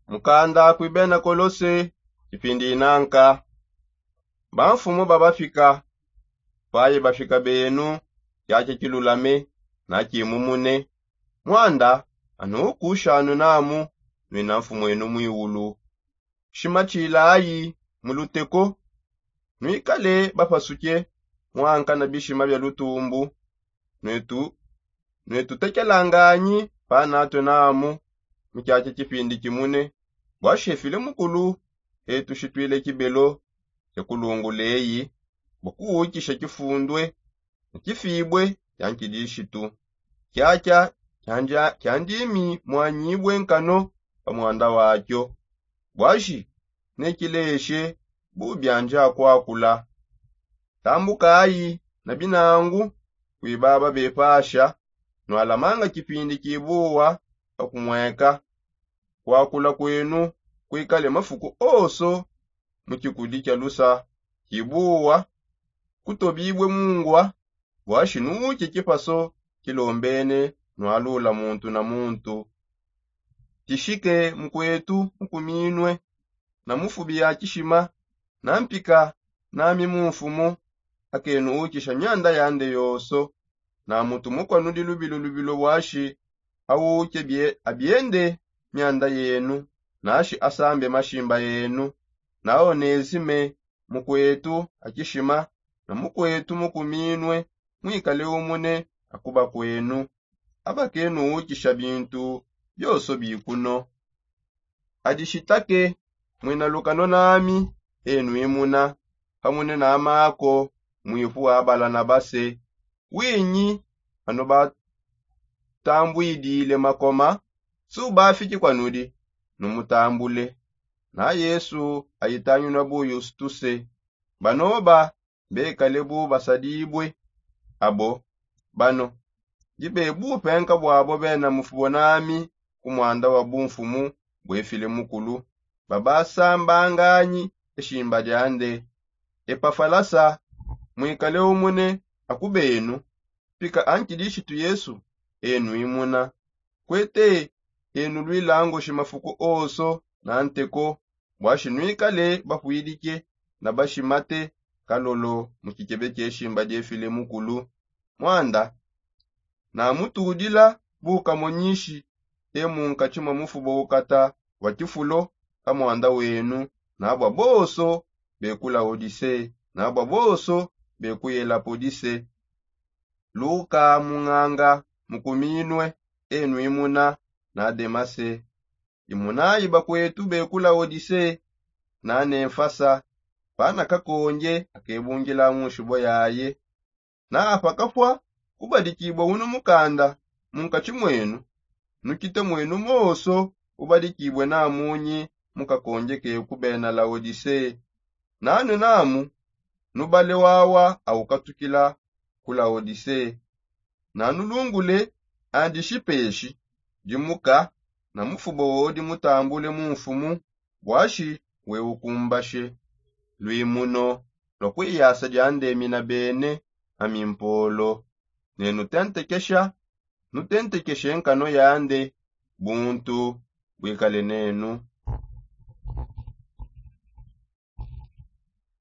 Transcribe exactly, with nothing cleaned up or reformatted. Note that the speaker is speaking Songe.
Mukanda kui bena kolose. Kipindi inanka bamfumu babafika. Paye bafika benu kiakia kilulame nakimumune. Mwanda anu ukushanu namu nwina mfumu enu mwiulu. Shima tshilayi mu luteko. Nwikale bapasuke mwanka na bishima bia lutumbu. Nwetu nwetutekelanganyi panatwe namu mu kiakia kipindi kimune. Bua shefile mukulu etu shitwile kibelo kia kulungula eyi bua kuwukisha kifundue ne kifibue kia nkidishitu. Kiakia kiandimi muanyibue nkano pa muanda wakio. Buashi nekileshe bu bianji akuakula. Tambukayi na binangu kui baba bepasha. Nualamanga kipindi kibuwa pa kumweka. Kuakula kuenu kuikale mafuku onso mu kikudi kia lusa kibuwa kutobibue mungua. Buashi nuwuke kipaso kilombene nualula muntu na muntu. Tishike mukuetu mukuminue na mufubi ya kishima na mpika nami mu mfumu. Akenu ukisha mianda yande yonso na mutu mukua nudi lubilu lubilu buashi auke abiende mianda yenu nashi asambe mashimba enu. Na onezime mukuetu akishima na mukuetu mukuminue mwikale umune akuba kuenu. Abakenu ukisha bintu bionso bikuno. Adishitake mwina lukano nami enu imuna pamune na mako mwipu wa balanabase. Winyi anu batambwidile makoma subafiki kua nudi numutambule. Na yesu ayitanginua bu yustuse banoba bekale bu basadibue. Abo bano ndi bebupenka buabo bena mufubo nami ku muanda wa bumfumu bwefile mukulu. Babasambanganyi eshimba diande. Epafalasa mwikale umune akubenu. Pika ankidishitu yesu enu imuna. Kuete enu luilangoshi mafuku onso na nteko. Buashi nuikale bapuidike na bashimate kalolo mu kikebe kieshimba diefile mukulu. Mwanda namutudila bukamonyishi e munkatshi mua mufuba ukata wa kifulo ka muanda wenu. Nabua bonso be ku laodise nabua bonso be ku yelapodise. Luka munganga mukuminue enu imuna na demase. Imunayi bakuetu be ku laodise na nemfasa. Pana kakonge akebungila mu nshibo yaye. Na apa kapua kubadikibua unu mukanda munkatshi muenu. Nukite muenu monso ubadikibue namunyi mu kakonge ke ku bena laodise. Nanu namu nubale wawa aukatukila ku laodise. Nanulungule andi shipeshi dimuka na mufuba odi mutambule mu mfumu. Buashi we ukumbashe luimuno lua kuiyasa diandemina bene amimpolo. Nenutentekesha nutentekeshe nkano yande buntu buikale nenu.